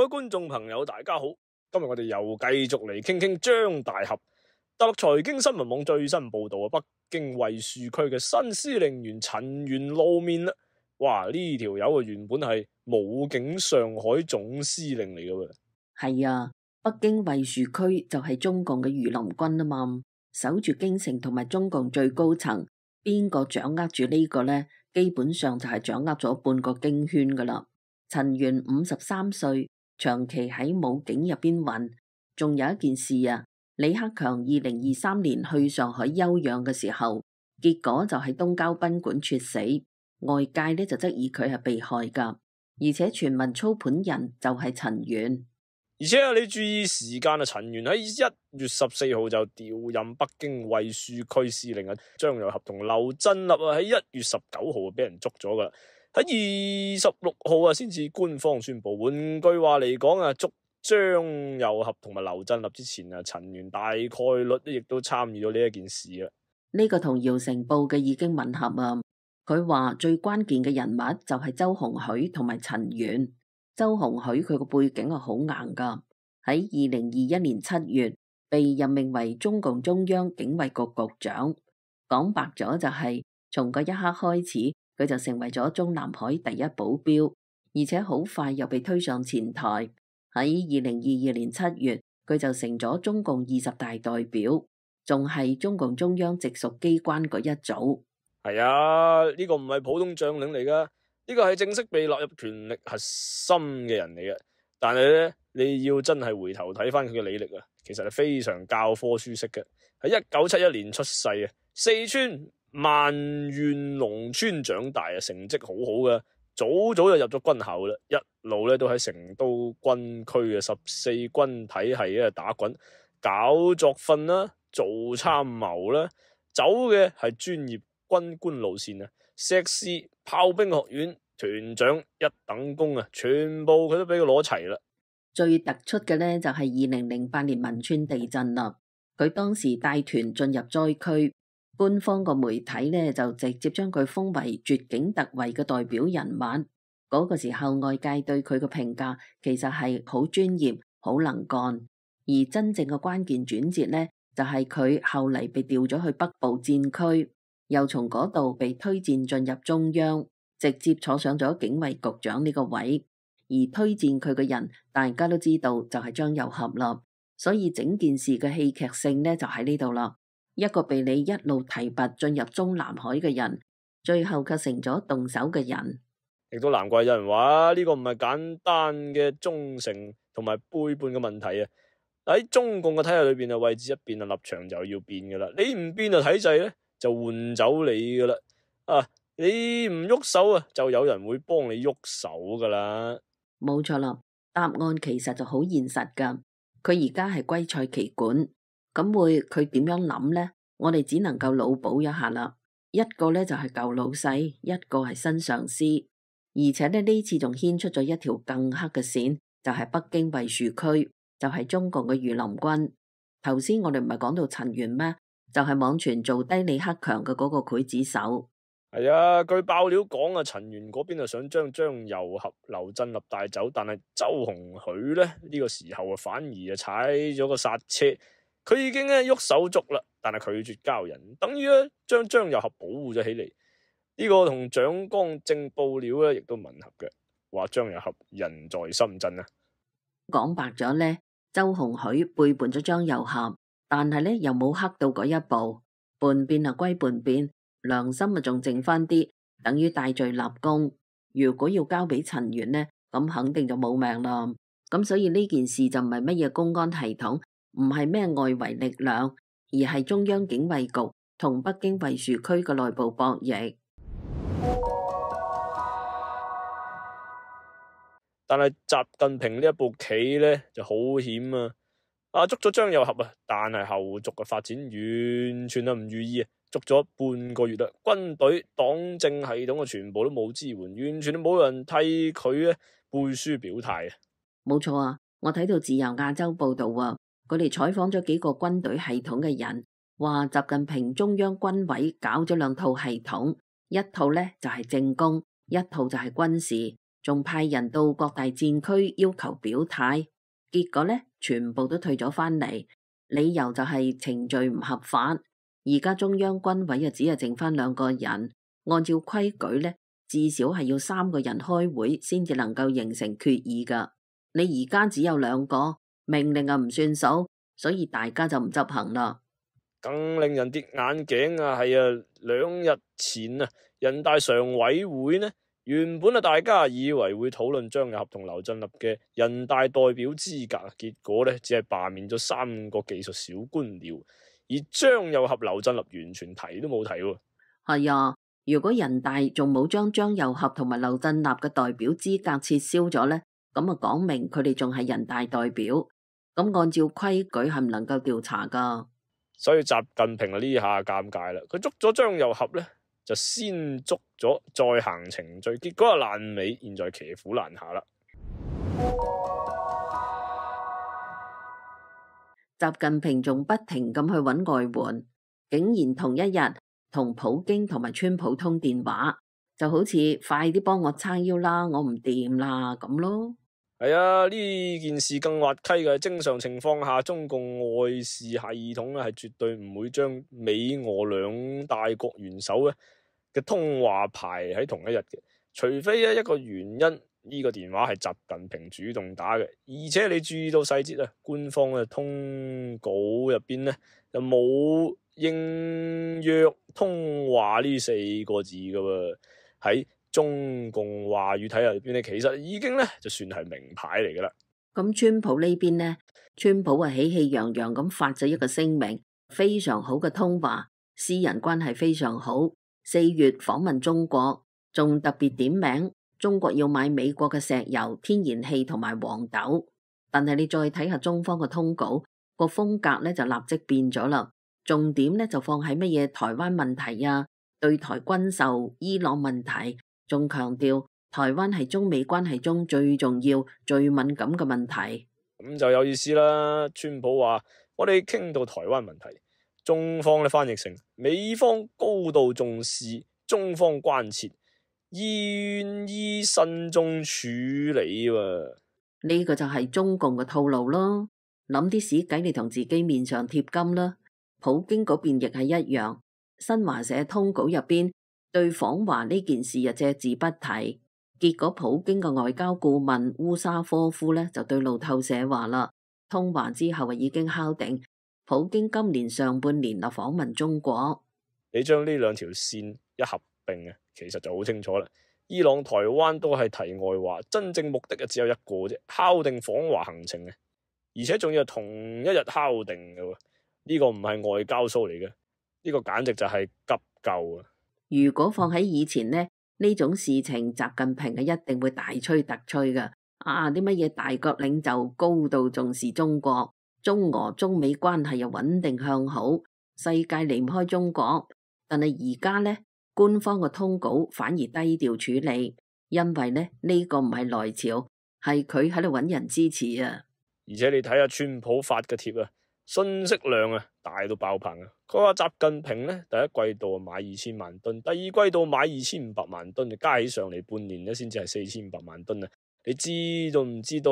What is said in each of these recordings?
位觀眾朋友，大家好！今日我哋又繼續嚟傾傾張大俠。大陸財經新聞網最新報道北京衛戍區嘅新司令員陳元露面啦！哇，呢條友原本係武警上海總司令嚟嘅喎。係啊，北京衛戍區就係中共嘅御林軍啊嘛，守住京城同埋中共最高層，邊個掌握住呢個呢？基本上就係掌握咗半個京圈噶啦。陳元53歲，長期喺武警入邊混。仲有一件事啊，李克強2023年去上海休養嘅時候，結果就喺東郊賓館猝死，外界呢就質疑佢係被害噶，而且傳聞操盤人就係陳元。而且你注意時間啊，陳元喺1月14號就調任北京衛戍區司令啊，張又俠同劉振立啊喺1月19號俾人捉咗噶啦，喺26號啊先至官方宣布。換句話嚟講啊，捉張又俠同埋劉振立之前啊，陳元大概率亦都參與咗呢一件事啦。呢個同姚成報嘅已經吻合啊！佢話最關鍵嘅人物就係周鴻許同埋陳元。周鴻許佢個背景係好硬噶，喺2021年7月被任命為中共中央警衛局局長。講白咗就係從嗰一刻開始，佢就成為咗中南海第一保鏢，而且好快又被推上前台。喺2022年7月，佢就成咗中共20大代表，仲係中共中央直屬機關嗰一組。係啊，呢個唔係普通將領嚟噶。呢個係正式被納入權力核心嘅人嚟嘅，但係咧你要真係回頭睇翻佢嘅履歷啊，其實係非常教科書式嘅。喺1971年出世啊，四川萬縣農村長大啊，成績好好嘅，早早就入咗軍校啦，一路咧都喺成都軍區嘅14軍體系啊打滾，搞作訓啦，做參謀啦，走嘅係專業軍官路線啊。碩士、炮兵學院、團長一等功啊，全部佢都俾佢攞齊啦。最突出嘅呢，就係2008年汶川地震啦。佢當時帶團進入災區，官方個媒體呢就直接將佢封為絕境突圍嘅代表人物。嗰個時候外界對佢嘅評價其實係好專業、好能幹，而真正嘅關鍵轉折呢，就係佢後嚟被調咗去北部戰區。又從嗰度被推薦進入中央，直接坐上咗警衛局長呢個位。而推薦佢嘅人，大家都知道就係張又俠啦。所以整件事嘅戲劇性呢，就喺呢度啦。一個被你一路提拔進入中南海嘅人，最後卻成咗動手嘅人。亦都難怪有人話呢個唔係簡單嘅忠誠同埋背叛嘅問題啊！喺中共嘅體系裏邊啊，位置一變啊，立場就要變噶啦。你唔變啊，體制咧就換走你噶啦，你唔喐手啊，就有人會幫你喐手噶啦。冇錯啦，答案其實就好現實噶。佢而家係歸蔡其管，咁佢點樣諗呢？我哋只能夠腦補一下啦。一個呢就係舊老細，一個係新上司，而且呢次仲牽出咗一條更黑嘅線，就係北京衛戍區，就係中共嘅御林軍。頭先我哋唔係講到陳元咩？就係網傳做低李克強嘅嗰個劊子手。係啊，據爆料講啊，陳元嗰邊啊想將張又俠、劉振立帶走，但係周鴻許咧呢個時候啊反而踩咗個剎車，佢已經喐手捉啦，但係拒絕交人，等於咧將張又俠保護咗起嚟。呢個同蔣光正報料咧亦都吻合嘅，話張又俠人在深圳啊。講白咗呢，周鴻許背叛咗張又俠。但係咧，又冇黑到嗰一步，叛變啊歸叛變，良心啊仲剩翻啲，等於戴罪立功。如果要交俾陳元呢，咁肯定就冇命啦。咁所以呢件事就唔係乜嘢公安系統，唔係咩外圍力量，而係中央警衛局同北京衛戍區嘅內部博弈。但係習近平呢一步棋呢就好險啊！捉咗張又俠啊，但係後續嘅發展完全係唔如意啊！捉咗半個月啦，軍隊、黨政系統全部都冇支援，完全都冇人替佢背書表態啊！冇錯啊，我睇到自由亞洲報道啊，佢哋採訪咗幾個軍隊系統嘅人，話習近平中央軍委搞咗兩套系統，一套呢就係政工，一套就係軍事。仲派人到各大戰區要求表態，結果呢，全部都退咗返嚟，理由就係程序唔合法。而家中央軍委只係剩返2個人，按照規矩呢，至少係要3個人開會先至能夠形成決議㗎。你而家只有2個，命令唔算數，所以大家就唔執行啦。更令人跌眼鏡係2日前人大常委會呢，原本大家以為會討論張又俠同劉振立嘅人大代表資格，結果呢，只係罷免咗3個技術小官僚，而張又俠、劉振立完全提都冇提喎。係啊，如果人大仲冇將張又俠同埋劉振立嘅代表資格撤銷咗呢，咁講明佢哋仲係人大代表，咁按照規矩係唔能夠調查噶。所以習近平呢下尷尬啦，佢捉咗張又俠呢，就先捉咗再行程序，結果爛尾，現在騎虎難下啦。習近平仲不停咁去揾外援，竟然同一日同普京同埋川普通電話，就好似快啲幫我撐腰啦，我唔掂啦咁咯。係啊，呢件事更滑稽嘅。正常情況下，中共外事系統係絕對唔會將美俄兩大國元首嘅通話排喺同一日嘅，除非一個原因，呢個電話係習近平主動打嘅。而且你注意到細節官方嘅通稿入邊呢，就冇應約通話呢4個字噶喎，喺中共話語體系入邊咧，其實已經咧就算係名牌嚟噶啦。咁川普呢邊呢？川普喜氣洋洋咁發咗一個聲明，非常好嘅通話，私人關係非常好。4月訪問中國，仲特別點名中國要買美國嘅石油、天然氣同埋黃豆。但係你再睇下中方嘅通稿，個風格咧就立即變咗啦，重點咧就放喺乜嘢台灣問題啊、對台軍售、伊朗問題。仲強調台灣係中美關係中最重要、最敏感嘅問題，咁就有意思啦。川普話：我哋傾到台灣問題，中方咧翻譯成美方高度重視，中方關切，願意慎重處理喎。呢個就係中共嘅套路咯，諗啲屎計嚟同自己面上貼金啦。普京嗰邊亦係一樣，新華社通稿入邊對訪華呢件事隻字不提，結果普京嘅外交顧問烏沙科夫呢，就對路透社話啦，通話之後已經敲定，普京今年上半年訪問中國。你將呢2條線一合併其實就好清楚啦。伊朗、台灣都係題外話，真正目的只有一個啫，敲定訪華行程而且仲要係同一日敲定嘅。呢個唔係外交 show 嚟嘅，呢個簡直就係急救啊！如果放喺以前呢種事情習近平一定會大吹特吹㗎。啲乜嘢大國領袖高度重視中國，中俄中美關係又穩定向好，世界離唔開中國。但係而家呢，官方嘅通稿反而低調處理，因為呢個唔係來朝，係佢喺度揾人支持啊！而且你睇下川普發嘅貼信息量大到爆棚佢話習近平第一季度買2000萬噸，第二季度買2500萬噸，加起上嚟半年先至係4500萬噸你知道唔知道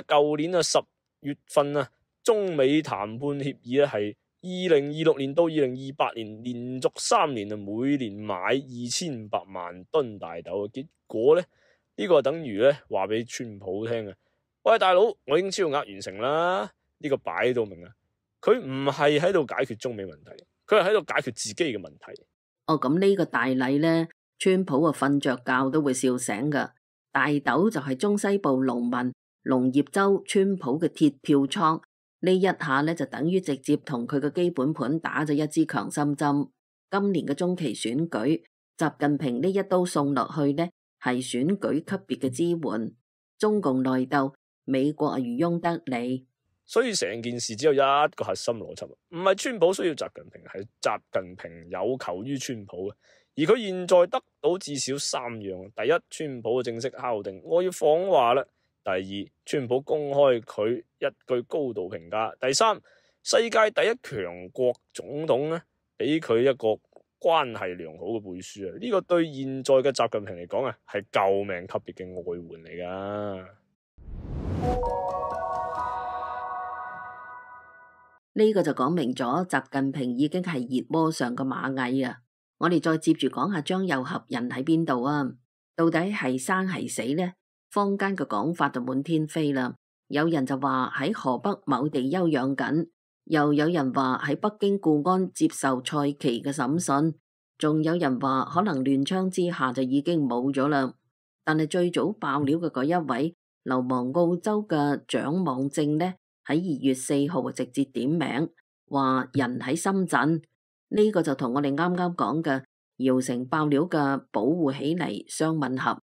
舊年10月份中美談判協議係2026年到2028年連續3年每年買2500萬噸大豆結果呢個等於話俾川普聽喂，大佬，我已經超額完成啦。呢個擺到明佢唔係喺度解決中美問題，佢係喺度解決自己嘅問題。咁呢個大禮呢，川普瞓着覺都會笑醒噶。大豆就係中西部農民、農業州川普嘅鐵票倉，呢一下就等於直接同佢嘅基本盤打咗一支強心針。今年嘅中期選舉，習近平呢一刀送落去係選舉級別嘅支援。中共內鬥，美國漁翁得利，所以成件事只有一個核心邏輯，唔係川普需要習近平，係習近平有求於川普而佢現在得到至少3樣：第一，川普嘅正式敲定我要訪華啦；第二，川普公開佢一句高度評價；第三，世界第一強國總統俾佢一個關係良好嘅背書啊！呢個對現在嘅習近平嚟講啊，係救命級別嘅外援嚟噶。呢個就講明咗習近平已經係熱鍋上嘅螞蟻啊！我哋再接住講下張又俠人喺邊度啊？到底係生係死呢？坊間嘅講法就滿天飛啦。有人就話喺河北某地休養緊，又有人話喺北京固安接受蔡奇嘅審訊，仲有人話可能亂槍之下就已經冇咗啦。但係最早爆料嘅嗰一位流亡澳洲嘅蔣網正呢，喺2月4號直接點名話人喺深圳。呢個就同我哋啱啱講嘅姚城爆料嘅保護起嚟相吻合。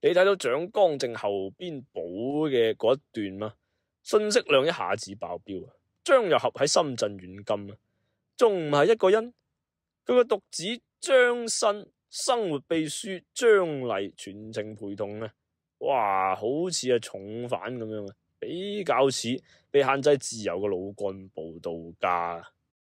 你睇到蔣光正後邊補嘅嗰一段嘛，信息量一下子爆表啊！張又俠喺深圳軟禁啊，仲唔係一個人？佢個獨子張新、生活秘書張麗全程陪同啊！哇，好似係重犯咁樣啊，比較似被限制自由嘅老幹部度假。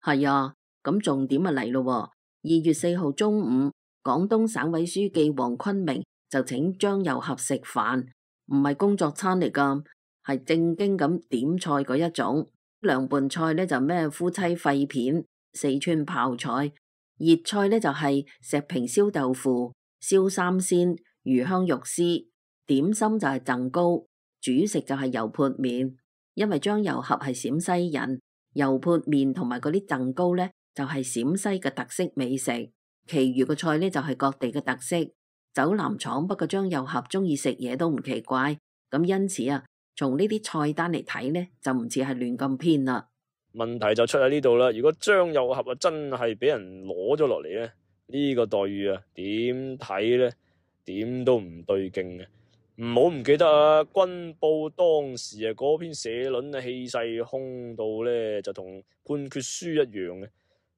係啊，咁重點啊嚟咯！2月4號中午，廣東省委書記黃坤明就請張又俠食飯，唔係工作餐嚟噶，係正經咁點菜嗰一種。涼拌菜呢就咩夫妻肺片、四川泡菜，熱菜呢就係石屏燒豆腐、燒三鮮、魚香肉絲，點心就係贈糕，主食就係油潑麵。因為張又俠係陝西人，油潑麵同埋嗰啲贈糕呢就係陝西嘅特色美食，其餘嘅菜呢就係各地嘅特色。走南闖北嘅張又俠中意食嘢都唔奇怪，咁因此啊，從呢啲菜單嚟睇呢，就唔似係亂咁編啦。問題就出喺呢度啦。如果張又俠啊真係俾人攞咗落嚟咧，呢個待遇啊點睇咧？點都唔對勁嘅。唔好唔記得啊，軍報當時啊嗰篇社論啊氣勢兇到咧，就同判決書一樣嘅。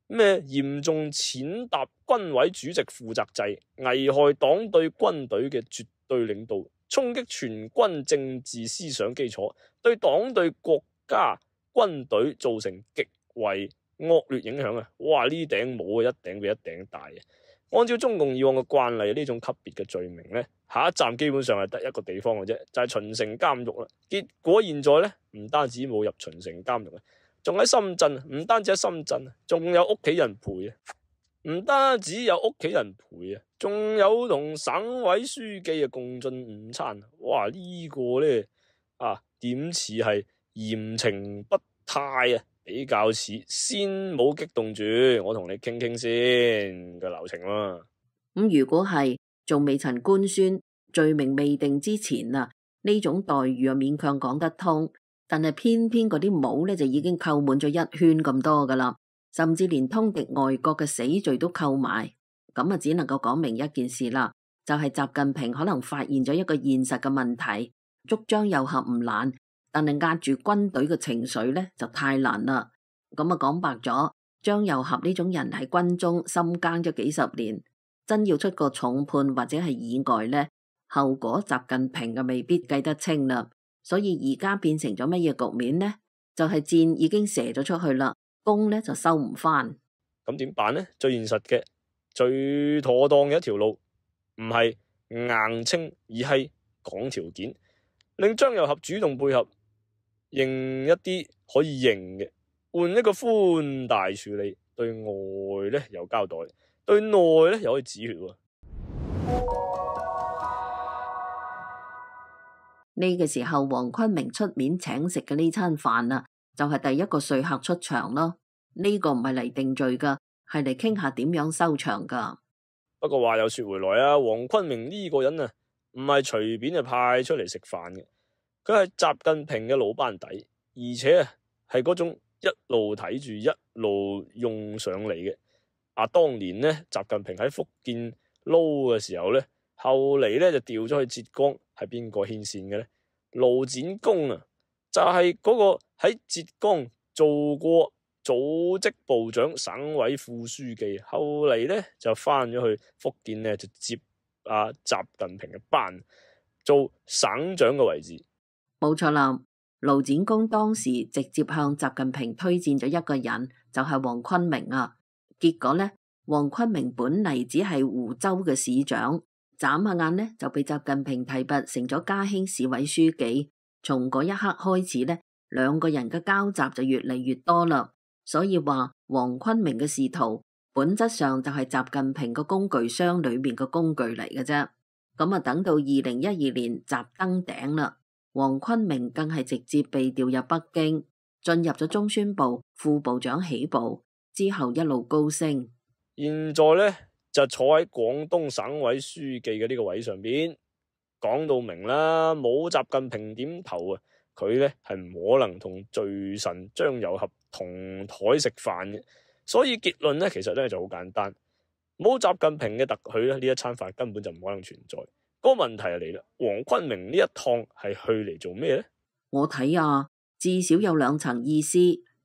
咩嚴重踐踏軍委主席負責制，危害黨對軍隊嘅絕對領導，衝擊全軍政治思想基礎，對黨對國家軍隊造成極為惡劣影響啊！哇，呢頂帽啊一頂比一頂大啊！按照中共以往嘅慣例，呢種級別嘅罪名呢，下一站基本上係得一個地方嘅啫，就係秦城監獄啦。結果現在呢，唔單止冇入秦城監獄啊，仲喺深圳，唔單止喺深圳，仲有屋企人陪啊！唔單止有屋企人陪啊，仲有同省委書記啊共進午餐。哇！呢個呢，點似係嚴懲不貸啊？比較似先冇激動住，我同你傾傾先嘅流程啦。咁如果係仲未曾官宣，罪名未定之前啊，呢種待遇啊勉強講得通。但係偏偏嗰啲帽咧就已經扣滿咗一圈咁多噶啦，甚至連通敵外國嘅死罪都扣埋。咁啊，只能夠講明一件事啦，就係習近平可能發現咗一個現實嘅問題，捉張又俠唔難。但係壓住軍隊嘅情緒呢，就太難啦。咁啊講白咗，張又俠呢種人喺軍中深耕咗幾十年，真要出個重判或者係意外呢，後果習近平啊未必計得清啦。所以而家變成咗乜嘢局面呢？就係箭已經射咗出去啦，弓呢就收唔翻。咁點辦呢？最現實嘅、最妥當嘅一條路，唔係硬清，而係講條件，令張又俠主動配合。認一啲可以認嘅，換一個寬大處理，對外咧有交代，對內咧又可以止血。呢個時候，黃坤明出面請食嘅呢餐飯啊，就係第一個說客出場咯。呢個唔係嚟定罪噶，係嚟傾下點樣收場噶。不過話又說回來啊，黃坤明呢個人啊，唔係隨便就派出嚟食飯嘅。佢係習近平嘅老班底，而且啊係嗰種一路睇住一路用上嚟嘅。當年呢，習近平喺福建撈嘅時候呢，後嚟呢就調咗去浙江，係邊個牽線嘅呢？盧展公啊，就係嗰個喺浙江做過組織部長、省委副書記，後嚟呢就翻咗去福建呢，就接習近平嘅班，做省長嘅位置。冇錯啦，盧展公當時直接向習近平推薦咗一個人，就係黃坤明啊。結果呢，黃坤明本嚟只係湖州嘅市長，眨下眼呢就被習近平提拔成咗嘉興市委書記。從嗰一刻開始呢，兩個人嘅交集就越嚟越多啦。所以話黃坤明嘅仕途本質上就係習近平個工具箱裏面嘅工具嚟嘅啫。咁啊，等到2012年習登頂啦，黃坤明更係直接被調入北京，進入咗中宣部副部長起步，之後一路高升。現在呢，就坐喺廣東省委書記嘅呢個位上邊，講到明啦，冇習近平點頭啊，佢呢係唔可能同罪臣張又俠同台食飯嘅。所以結論呢，其實呢就好簡單，冇習近平嘅特許呢，呢一餐飯根本就唔可能存在。嗰個問題就嚟啦，黃坤明呢一趟係去嚟做咩呢？我睇啊，至少有兩層意思。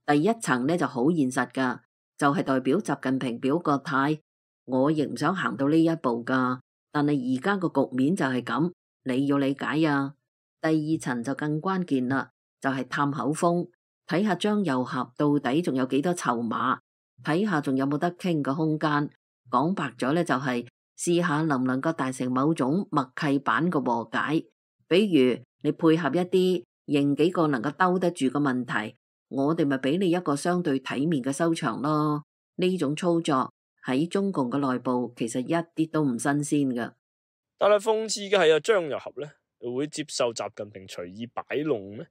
第一層呢就好現實噶，就係代表習近平表個態，我亦唔想行到呢一步噶，但係而家個局面就係咁，你要理解啊。第二層就更關鍵啦，就係探口風，睇下張又俠到底仲有幾多籌碼，睇下仲有冇得傾嘅空間。講白咗呢，就係試下能唔能夠達成某種默契版嘅和解，比如你配合一啲認幾個能夠兜得住嘅問題，我哋咪俾你一個相對體面嘅收場咯。呢種操作喺中共嘅內部其實一啲都唔新鮮㗎。但係諷刺嘅係啊，張又俠呢會接受習近平隨意擺弄咩？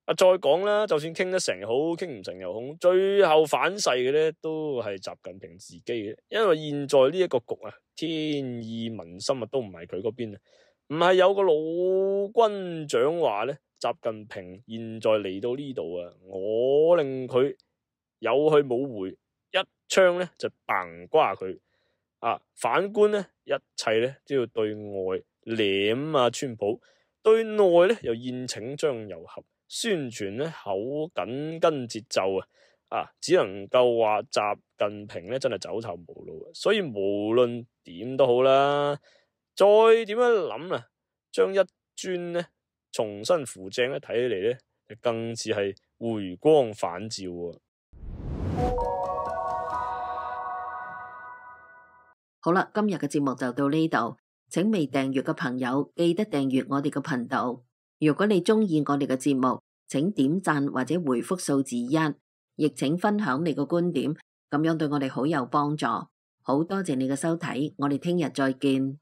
再講啦，就算傾得成好，傾唔成又好，最後反噬嘅呢都係習近平自己嘅，因為現在呢一個局啊，天意民心啊都唔係佢嗰邊啊，唔係有個老軍長話呢，習近平現在嚟到呢度啊，我令佢有去冇回，一槍呢就崩瓜佢啊！反觀呢，一切呢都要對外舐啊川普，對內呢又宴請張又俠。宣傳咧口緊跟節奏只能夠話習近平咧真係走投無路，所以無論點都好啦，再點樣諗啊，將一尊咧重新扶正咧，睇起嚟咧更似係回光返照啊！好啦，今日嘅節目就到呢度，請未訂閱嘅朋友記得訂閱我哋嘅頻道。如果你鍾意我哋嘅節目，請點讚或者回覆數字1，亦請分享你嘅觀點，咁樣對我哋好有幫助。好多謝你嘅收睇，我哋聽日再見。